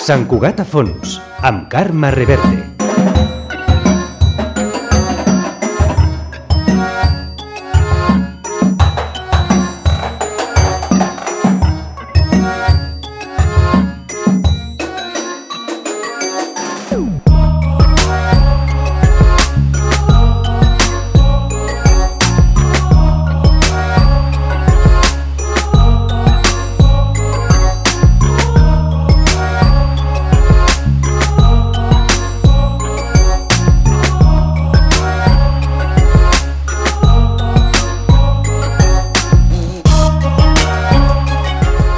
Sant Cugat a Fons, amb Carme Reverte.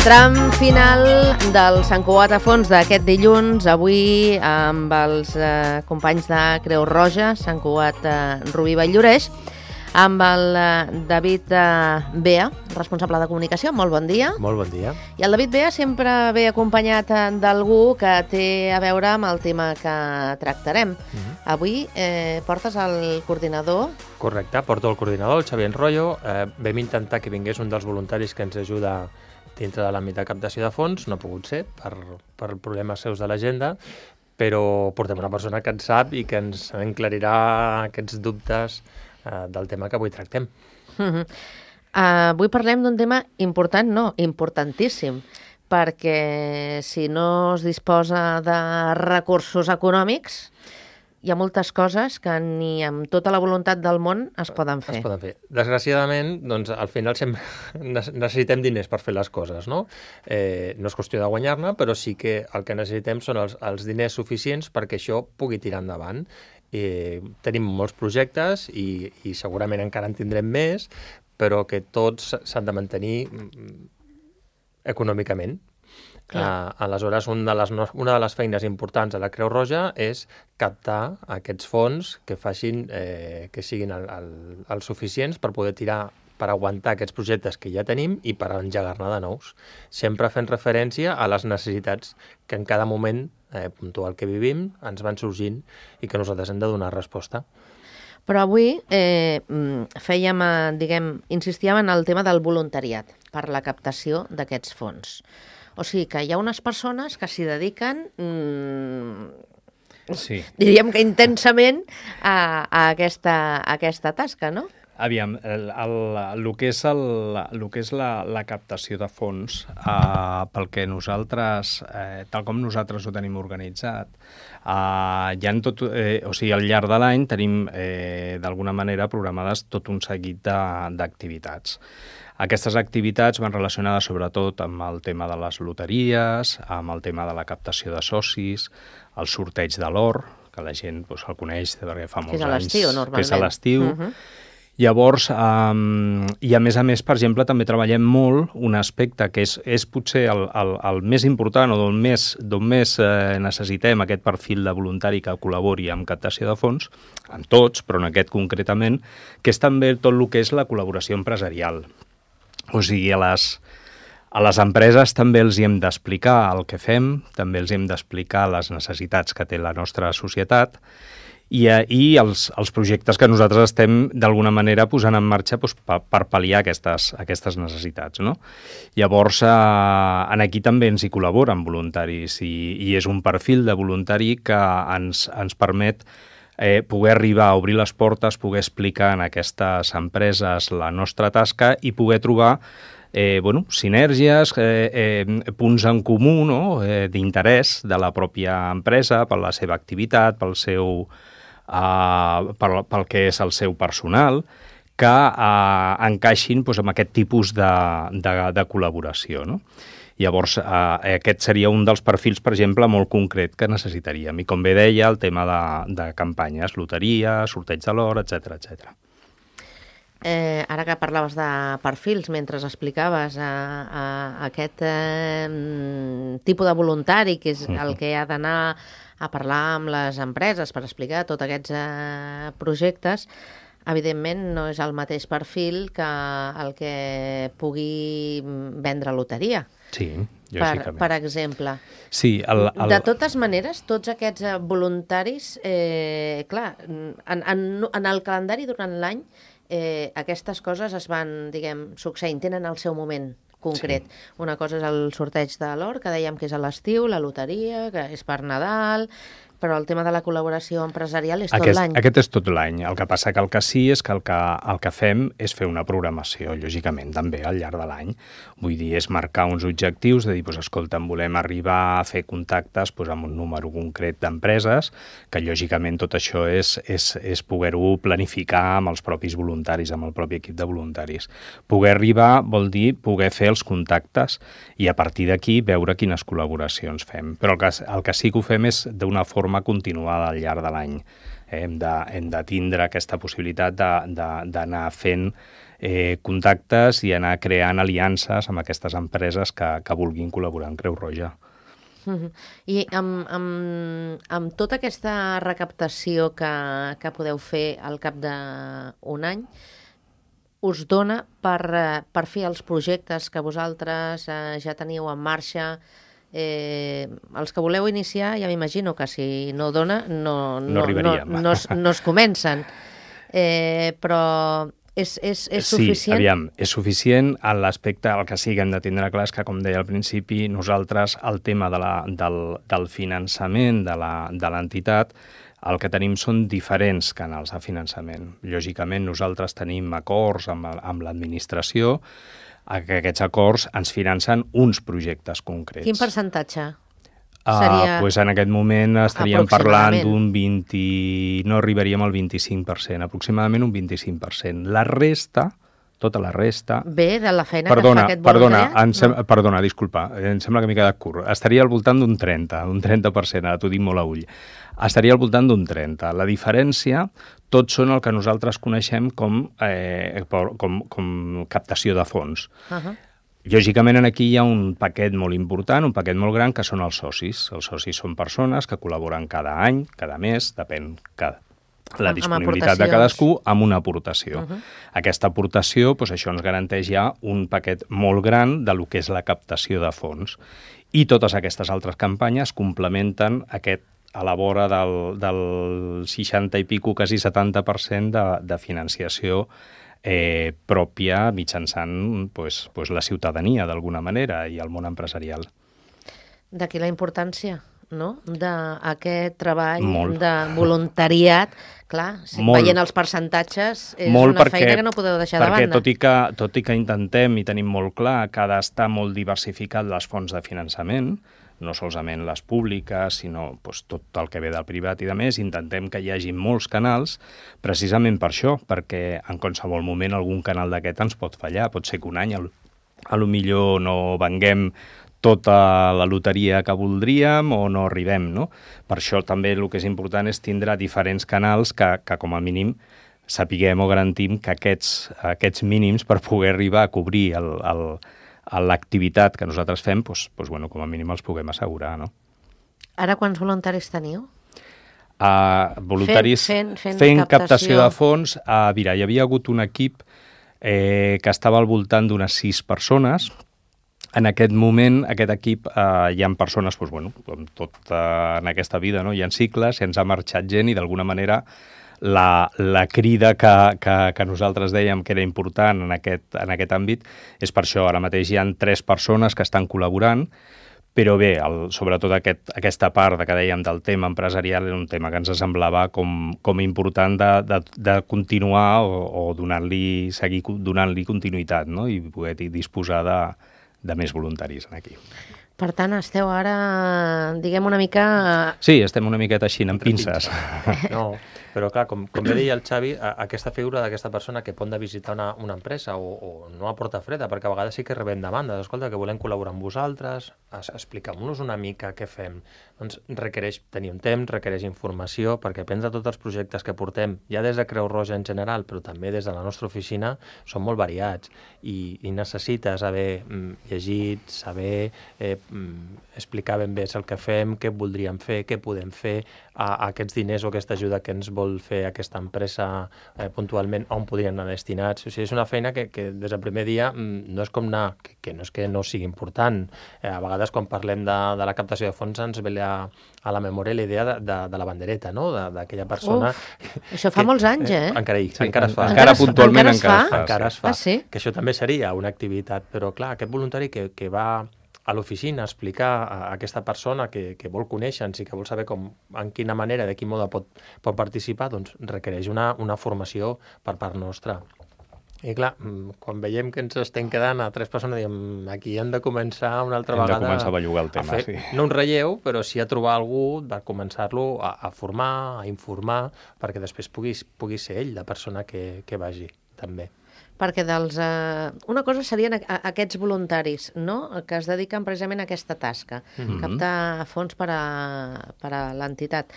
Tram final del Sant Cugat a Fons d'aquest dilluns, avui amb els companys de Creu Roja, Sant Cugat Rubí Vall-lloreix, amb el David Bea, responsable de comunicació. Molt bon dia. Molt bon dia. I el David Bea sempre ve acompanyat d'algú que té a veure amb el tema que tractarem. Avui portes el coordinador. Correcte, porto el coordinador, el Xavier Enroyo. Vam intentar que vingués un dels voluntaris que ens ajuda dintre de l'àmbit de captació de fons, no ha pogut ser per problemes seus de l'agenda, però portem una persona que en sap i que ens enclarirà aquests dubtes del tema que avui tractem. Avui parlem d'un tema important, importantíssim, perquè si no es disposa de recursos econòmics, hi ha moltes coses que ni amb tota la voluntat del món es poden fer. Desgraciadament, doncs, al final sempre necessitem diners per fer les coses, no? No és qüestió de guanyar-ne, però sí que el que necessitem són els diners suficients perquè això pugui tirar endavant. Tenim molts projectes i segurament encara en tindrem més, però que tots s'han de mantenir econòmicament. Aleshores, una de les feines importants de la Creu Roja és captar aquests fons que facin que siguin els suficients per poder tirar, per aguantar aquests projectes que ja tenim i per engegar-ne de nous. Sempre fent referència a les necessitats que en cada moment puntual que vivim ens van sorgint i que nosaltres hem de donar resposta. Però avui insistíem en el tema del voluntariat per la captació d'aquests fons. O sigui que hi ha unes persones que s'hi dediquen, diríem que intensament, a aquesta tasca, no? Aviam, el que és la captació de fons, pel que nosaltres, tal com nosaltres ho tenim organitzat, al llarg de l'any tenim d'alguna manera programades tot un seguit d'activitats. Aquestes activitats van relacionades sobretot amb el tema de les loteries, amb el tema de la captació de socis, el sorteig de l'or, que la gent el coneix perquè fa molts anys. Que és a l'estiu, normalment. Que és a l'estiu. Llavors, i a més, per exemple, també treballem molt un aspecte que és potser el més important o d'on més necessitem aquest perfil de voluntari que col·labori amb captació de fons, amb tots, però en aquest concretament, que és també tot el que és la col·laboració empresarial. O sigui, a les empreses també els hi hem d'explicar el que fem, també els hem d'explicar les necessitats que té la nostra societat i els projectes que nosaltres estem d'alguna manera posant en marxa per pal·liar aquestes necessitats, no? Llavors, aquí també ens hi col·laboren voluntaris i és un perfil de voluntari que ens permet poder arribar a obrir les portes, poder explicar en aquestes empreses la nostra tasca i poder trobar sinèrgies, punts en comú, d'interès de la pròpia empresa, per la seva activitat, pel que és el seu personal, que encaixin amb aquest tipus de col·laboració, no? Llavors, aquest seria un dels perfils, per exemple, molt concret que necessitaríem. I com bé deia, el tema de campanyes, loteria, sorteig de l'or, etc. Ara que parlaves de perfils, mentre explicaves aquest tipus de voluntari, que és el que ha d'anar a parlar amb les empreses per explicar tots aquests projectes, evidentment no és el mateix perfil que el que pugui vendre loteria. Sí, lògicament. Per exemple. Sí, de totes maneres, tots aquests voluntaris, clar, en el calendari durant l'any, aquestes coses es van, succeint, tenen el seu moment concret. Una cosa és el sorteig de l'or, que dèiem que és a l'estiu, la loteria, que és per Nadal, però el tema de la col·laboració empresarial és tot l'any. Aquest és tot l'any. El que passa que el que sí és que el que fem és fer una programació, lògicament, també al llarg de l'any. Vull dir, és marcar uns objectius, de dir, escolta, volem arribar a fer contactes amb un número concret d'empreses, que lògicament tot això és poder-ho planificar amb els propis voluntaris, amb el propi equip de voluntaris. Poder arribar vol dir poder fer els contactes i a partir d'aquí veure quines col·laboracions fem. Però el que sí que ho fem és d'una forma continuada al llarg de l'any. Hem de tindre aquesta possibilitat d'anar fent contactes i anar creant aliances amb aquestes empreses que vulguin col·laborar amb Creu Roja. I amb tota aquesta recaptació que podeu fer al cap d'un any, us dona per fer els projectes que vosaltres ja teniu en marxa. Els que voleu iniciar, ja m'imagino que si no dona, no es comencen. Però és suficient? Sí, aviam, és suficient en l'aspecte, el que sí que hem de tindre clar és que, com deia al principi, nosaltres el tema del finançament de l'entitat, el que tenim són diferents canals de finançament. Lògicament, nosaltres tenim acords amb l'administració, que aquests acords ens financen uns projectes concrets. Quin percentatge seria? En aquest moment estaríem parlant d'un 20... No arribaríem al 25%, aproximadament un 25%. La resta, tota la resta... Bé, de la feina que fa aquest voluntariat? Perdona, disculpa, em sembla que m'he quedat curt. Estaria al voltant d'un 30%, ara t'ho dic molt a ull. Estaria al voltant d'un 30%. La diferència, tots són el que nosaltres coneixem com captació de fons. Lògicament, aquí hi ha un paquet molt important, un paquet molt gran, que són els socis. Els socis són persones que col·laboren cada any, cada mes, depèn la disponibilitat de cadascú, amb una aportació. Aquesta aportació, això ens garanteix ja un paquet molt gran de lo que és la captació de fons. I totes aquestes altres campanyes complementen a la vora del 60 i pico, quasi 70% de financiació pròpia mitjançant la ciutadania, d'alguna manera, i el món empresarial. D'aquí la importància, no?, d'aquest treball de voluntariat. Clar, veient els percentatges, és una feina que no podeu deixar de banda. Perquè tot i que intentem i tenim molt clar que ha d'estar molt diversificat les fonts de finançament, no solament les públiques, sinó tot el que ve del privat i de més, intentem que hi hagi molts canals, precisament per això, perquè en qualsevol moment algun canal d'aquest ens pot fallar. Pot ser que un any potser no venguem tota la loteria que voldríem o no arribem, no? Per això també el que és important és tindre diferents canals que com a mínim sapiguem o garantim que aquests mínims per poder arribar a cobrir l'activitat que nosaltres fem, com a mínim els puguem assegurar, no? Ara quants voluntaris teniu? Voluntaris fent captació de fons. Mira, hi havia hagut un equip que estava al voltant d'unes 6 persones. En aquest moment, aquest equip, hi ha persones, com tot en aquesta vida, no? Hi ha cicles, ens ha marxat gent i d'alguna manera la crida que nosaltres dèiem que era important en aquest àmbit és per això. Ara mateix hi ha 3 persones que estan col·laborant, però bé, sobretot aquesta part que dèiem del tema empresarial era un tema que ens semblava com important de continuar o seguir donant-li continuïtat, no? I poder disposar de més voluntaris aquí. Per tant, esteu ara, diguem, una mica... Sí, estem una miqueta així, amb pinces. No, però clar, com bé deia el Xavi, aquesta figura d'aquesta persona que pot anar a visitar una empresa o no a porta freda, perquè a vegades sí que rebem demandes, escolta, que volem col·laborar amb vosaltres, expliquem-nos una mica què fem. Doncs requereix tenir un temps, requereix informació, perquè prendre tots els projectes que portem, ja des de Creu Roja en general, però també des de la nostra oficina, són molt variats i necessites haver llegit, saber explicar ben bé el que fem, què voldríem fer, què podem fer, aquests diners o aquesta ajuda que ens vol fer aquesta empresa puntualment, on podrien anar destinats. O sigui, és una feina que des del primer dia no és com anar, que no és que no sigui important. A vegades, quan parlem de la captació de fons, ens ve a la memòria la idea de la bandereta, no? D'aquella persona... Això fa molts anys, Encara es fa. Encara puntualment encara es fa. Ah, sí? Que això també seria una activitat, però clar, aquest voluntari que va a l'oficina a explicar a aquesta persona que vol conèixer-nos i que vol saber en quina manera, de quin mode pot participar, doncs requereix una formació per part nostra. I clar, quan veiem que ens estem quedant a 3 persones, diem, aquí hem de començar una altra vegada... Hem de començar a bellugar el tema, sí. No un relleu, però sí a trobar algú per començar-lo a formar, a informar, perquè després pugui ser ell la persona que vagi, també. Perquè una cosa serien aquests voluntaris, no?, que es dediquen precisament a aquesta tasca, captar fons per a l'entitat.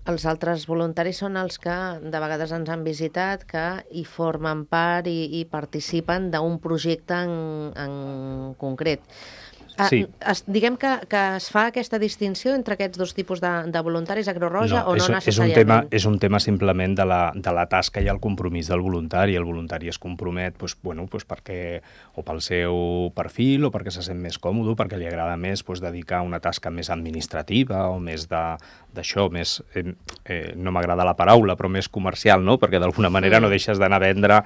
Els altres voluntaris són els que de vegades ens han visitat, que hi formen part i participen d'un projecte en concret. Sí. Diguem que es fa aquesta distinció entre aquests dos tipus de voluntaris a Creu Roja o no necessàriament? És un tema simplement de la tasca i el compromís del voluntari. El voluntari es compromet perquè o pel seu perfil o perquè se sent més còmode, perquè li agrada més dedicar una tasca més administrativa o més d'això, més, no m'agrada la paraula, però més comercial, no? Perquè d'alguna manera no deixes d'anar a vendre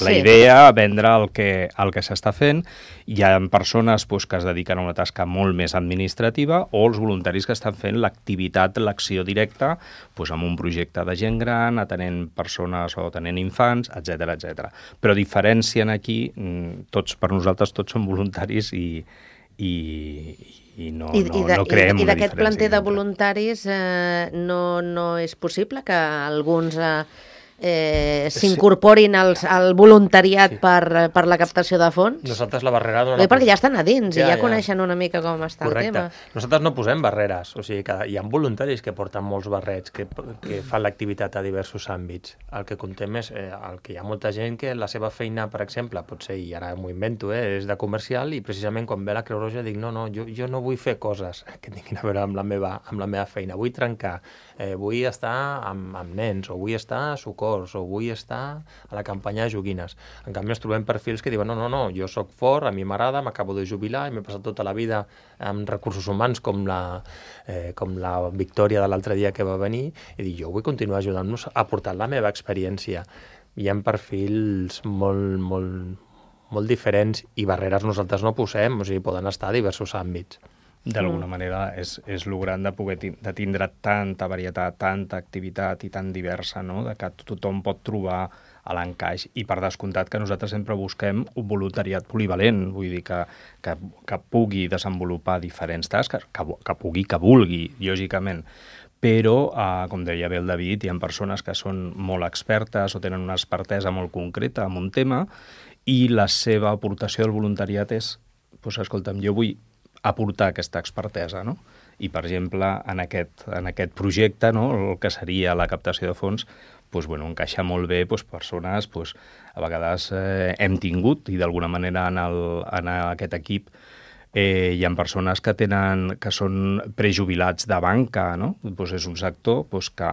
la idea, a vendre el que s'està fent. Hi ha persones que es dediquen a una tasca molt més administrativa, o els voluntaris que estan fent l'activitat, l'acció directa, amb un projecte de gent gran, atenent persones o atenent infants, etc etc. Però diferencien aquí, per nosaltres tots som voluntaris i no creem una diferència. I d'aquest planter de voluntaris no és possible que alguns s'incorporin al voluntariat per la captació de fons? Nosaltres la barrera... Perquè ja estan a dins i ja coneixen una mica com està el tema. Nosaltres no posem barreres, o sigui que hi ha voluntaris que porten molts barrets, que fan l'activitat a diversos àmbits. El que contem és el que hi ha molta gent que la seva feina, per exemple, potser, i ara m'ho invento, és de comercial, i precisament quan ve la Creu Roja dic jo no vull fer coses que tinguin a veure amb la meva feina, vull trencar, vull estar amb nens, o vull estar a socors, o vull estar a la campanya de joguines. En canvi, ens trobem perfils que diuen no, jo sóc fort, a mi m'agrada, m'acabo de jubilar i m'he passat tota la vida amb recursos humans com la Victòria de l'altre dia que va venir, i dic, jo vull continuar ajudant-nos a aportar la meva experiència. Hi ha perfils molt diferents i barreres nosaltres no posem, o sigui, poden estar a diversos àmbits. D'alguna manera és lo gran de tindre tanta varietat, tanta activitat i tan diversa, no?, de que tothom pot trobar a l'encaix, i per descomptat que nosaltres sempre busquem un voluntariat polivalent, vull dir que pugui desenvolupar diferents tasques, que vulgui, lògicament. Però, com deia bé el David, hi ha persones que són molt expertes o tenen una expertesa molt concreta en un tema, i la seva aportació al voluntariat és, escolta'm, jo vull aportar aquesta expertesa, no? I, per exemple, en aquest projecte, no?, el que seria la captació de fons, encaixa molt bé persones, a vegades hem tingut, i d'alguna manera en aquest equip hi ha persones que són prejubilats de banca, no? És un sector que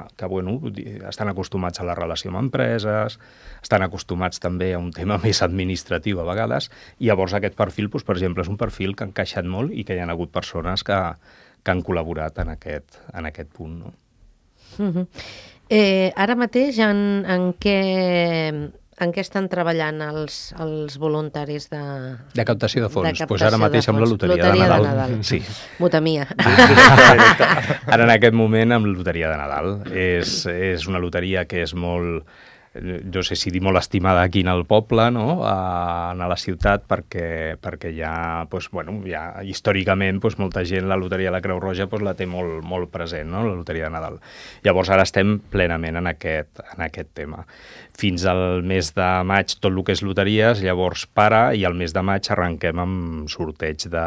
estan acostumats a la relació amb empreses, estan acostumats també a un tema més administratiu a vegades, i llavors aquest perfil, per exemple, és un perfil que ha encaixat molt i que hi ha hagut persones que han col·laborat en aquest punt, no? Ara mateix en què estan treballant els voluntaris de captació de fons? Ara mateix amb la Loteria de Nadal. Sí. Muta mia. Ara en aquest moment amb la Loteria de Nadal. És una loteria que és molt... no sé si dir molt estimada aquí en el poble, no?, a la ciutat, perquè ja històricament molta gent la Loteria de la Creu Roja la té molt present, no?, la Loteria de Nadal. Llavors ara estem plenament en aquest tema. Fins al mes de maig tot el que és loteries, llavors i al mes de maig arrenquem amb sorteig de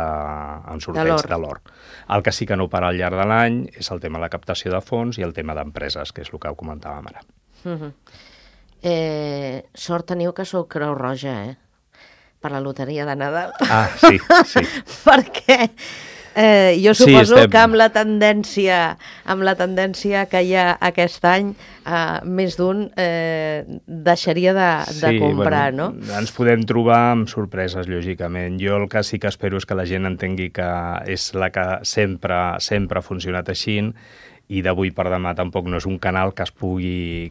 l'or. El que sí que no para al llarg de l'any és el tema de la captació de fons i el tema d'empreses, que és el que comentàvem ara. Sort teniu que sou Creu Roja, per la Loteria de Nadal. Ah, sí. Perquè Jo suposo que amb la tendència que hi ha aquest any, més d'un deixaria de comprar, no? Ens podem trobar amb sorpreses, lògicament. Jo el que sí que espero és que la gent entengui que és la que sempre ha funcionat així, i d'avui per demà tampoc no és un canal que es pugui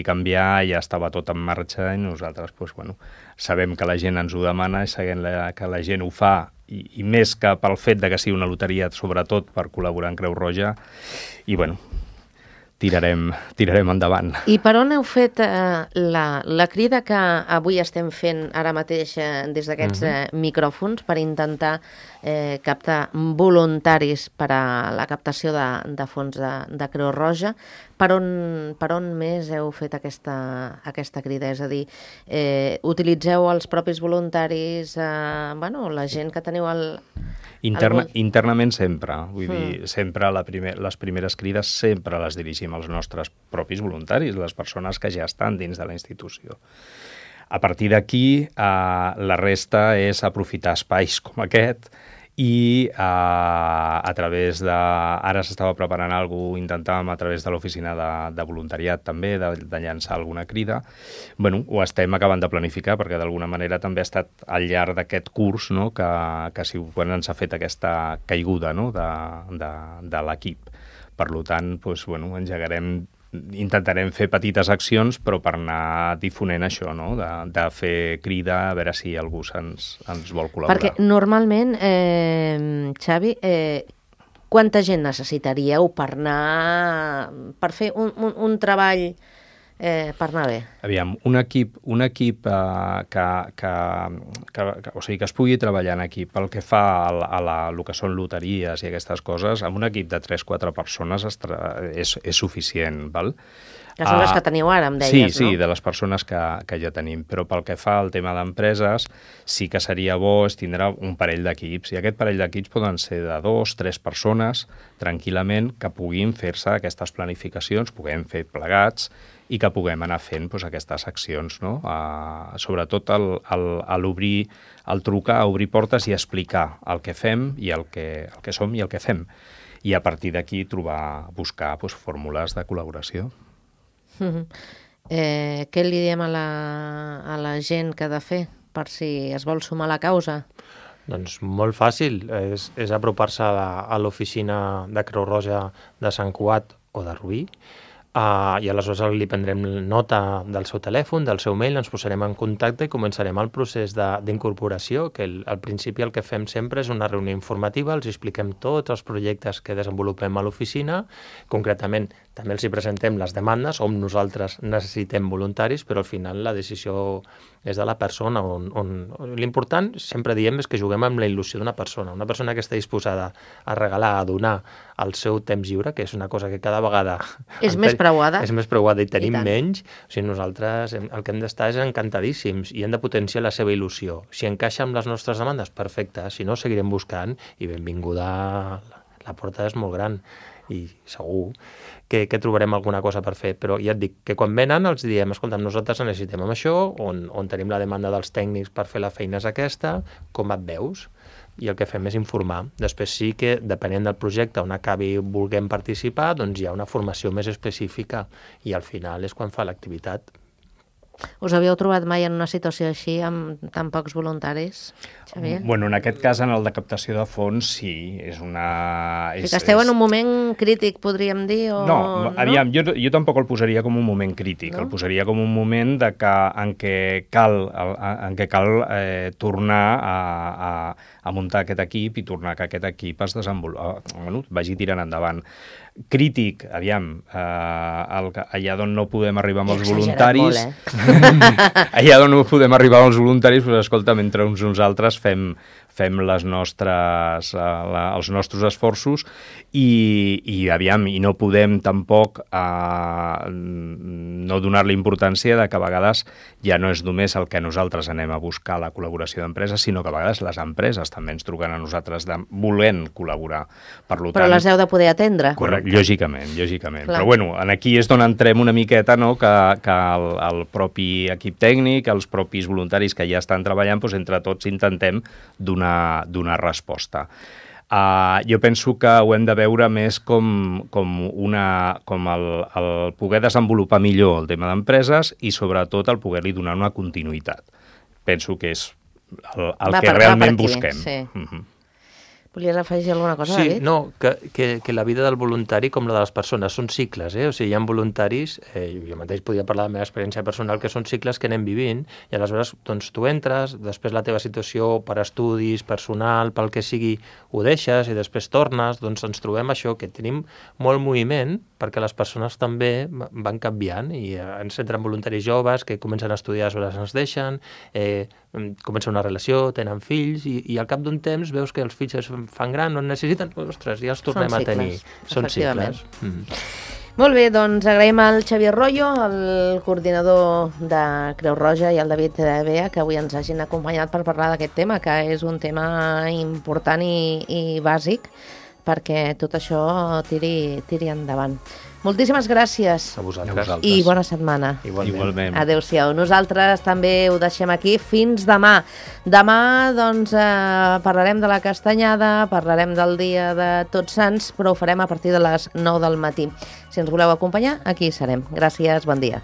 canviar, ja estava tot en marxa i nosaltres sabem que la gent ens ho demana i sabem que la gent ho fa, i més que pel fet de que sigui una loteria, sobretot per col·laborar en Creu Roja, i tirarem endavant. I per on heu fet la crida que avui estem fent ara mateix des d'aquests micròfons per intentar captar voluntaris per a la captació de fons de Creu Roja? Per on més heu fet aquesta crida? És a dir, utilitzeu els propis voluntaris, la gent que teniu internament sempre. Vull dir, sempre les primeres crides sempre les dirigim als nostres propis voluntaris, les persones que ja estan dins de la institució. A partir d'aquí, la resta és aprofitar espais com aquest i a través de... Ara s'estava preparant alguna cosa, intentàvem a través de l'oficina de voluntariat també, de llançar alguna crida. Ho estem acabant de planificar perquè d'alguna manera també ha estat al llarg d'aquest curs, no?, que quan ens ha fet aquesta caiguda, no?, de l'equip. Per tant, intentarem fer petites accions, però per anar difonent això, no?, de fer crida, a veure si algú ens vol col·laborar. Perquè normalment, Xavi, quanta gent necessitaríeu per fer un treball per anar bé? Aviam, un equip que es pugui treballar en equip pel que fa a el que són loteries i aquestes coses, amb un equip de 3-4 persones és suficient, val? Que són les que teniu ara, em deies, sí, no? de les persones que ja tenim, però pel que fa al tema d'empreses, sí que seria bo tindre un parell d'equips, i aquest parell d'equips poden ser de 2-3 persones, tranquil·lament, que puguin fer-se aquestes planificacions, puguem fer plegats, i que puguem anar fent aquestes accions, no? Sobretot el trucar, obrir portes i explicar el que fem i el que som i el que fem. I a partir d'aquí buscar fórmules de col·laboració. Què li diem a la gent que ha de fer per si es vol sumar a la causa? Doncs molt fàcil, és apropar-se a l'oficina de Creu Roja de Sant Cugat o de Rubí, i aleshores li prendrem nota del seu telèfon, del seu mail, ens posarem en contacte i començarem el procés d'incorporació, que al principi el que fem sempre és una reunió informativa, els expliquem tots els projectes que desenvolupem a l'oficina, concretament també els hi presentem les demandes, on nosaltres necessitem voluntaris, però al final la decisió és de la persona. L'important, sempre diem, és que juguem amb la il·lusió d'una persona que està disposada a regalar, a donar el seu temps lliure, que és una cosa que cada vegada... És més preuada. És més preuada i tenim menys. O sigui, nosaltres el que hem d'estar és encantadíssims i hem de potenciar la seva il·lusió. Si encaixa amb les nostres demandes, perfecte. Si no, seguirem buscant i benvinguda. La porta és molt gran i segur que trobarem alguna cosa per fer, però ja et dic que quan venen els diem, escolta, nosaltres necessitem amb això, on tenim la demanda dels tècnics per fer la feina és aquesta, com et veus? I el que fem és informar. Després sí que, depenent del projecte on acabi volguem participar, doncs hi ha una formació més específica i al final és quan fa l'activitat. Us havíeu trobat mai en una situació així amb tan pocs voluntaris, Xavier? En aquest cas, en el de captació de fons, sí. És una... que esteu en un moment crític, podríem dir? O... No, aviam, jo tampoc el posaria com un moment crític. No? El posaria com un moment en què cal tornar a muntar aquest equip i tornar que aquest equip es vagi tirant endavant. Crític, aviam, allà d'on no podem arribar amb els voluntaris... Allà d'on no podem arribar amb els voluntaris, doncs, escolta, mentre uns nosaltres fem els nostres esforços i no podem tampoc no donar-li importància de que a vegades ja no és només el que nosaltres anem a buscar la col·laboració d'empreses, sinó que a vegades les empreses també ens truquen a nosaltres volent col·laborar. Però les heu de poder atendre. Correcte. Lògicament. Clar. Però aquí és on entrem una miqueta, no? Que el propi equip tècnic, els propis voluntaris que ja estan treballant, doncs entre tots intentem donar resposta. Jo penso que ho hem de veure més com el poder desenvolupar millor el tema d'empreses i sobretot el poder-li donar una continuïtat. Penso que és el que realment busquem. Sí. Volies afegir alguna cosa, David? Sí, no, que la vida del voluntari, com la de les persones, són cicles, O sigui, hi ha voluntaris, jo mateix podia parlar de la meva experiència personal, que són cicles que anem vivint, i aleshores doncs, tu entres, després la teva situació per estudis, personal, pel que sigui, ho deixes i després tornes, doncs ens trobem això, que tenim molt moviment, perquè les persones també van canviant, i ens entren voluntaris joves que comencen a estudiar, aleshores ens deixen, comença una relació, tenen fills, i al cap d'un temps veus que els fills es fan gran, no en necessiten, ostres, ja els tornem a tenir. Són cicles. Molt bé, doncs agraïm al Xavier Royo, el coordinador de Creu Roja, i al David Bea, que avui ens hagin acompanyat per parlar d'aquest tema, que és un tema important i bàsic perquè tot això tiri endavant. Moltíssimes gràcies. A vosaltres. I bona setmana. Igualment. Adéu-siau. Nosaltres també ho deixem aquí. Fins demà. Demà, doncs, parlarem de la castanyada, parlarem del dia de Tots Sants, però ho farem a partir de les 9 del matí. Si ens voleu acompanyar, aquí serem. Gràcies, bon dia.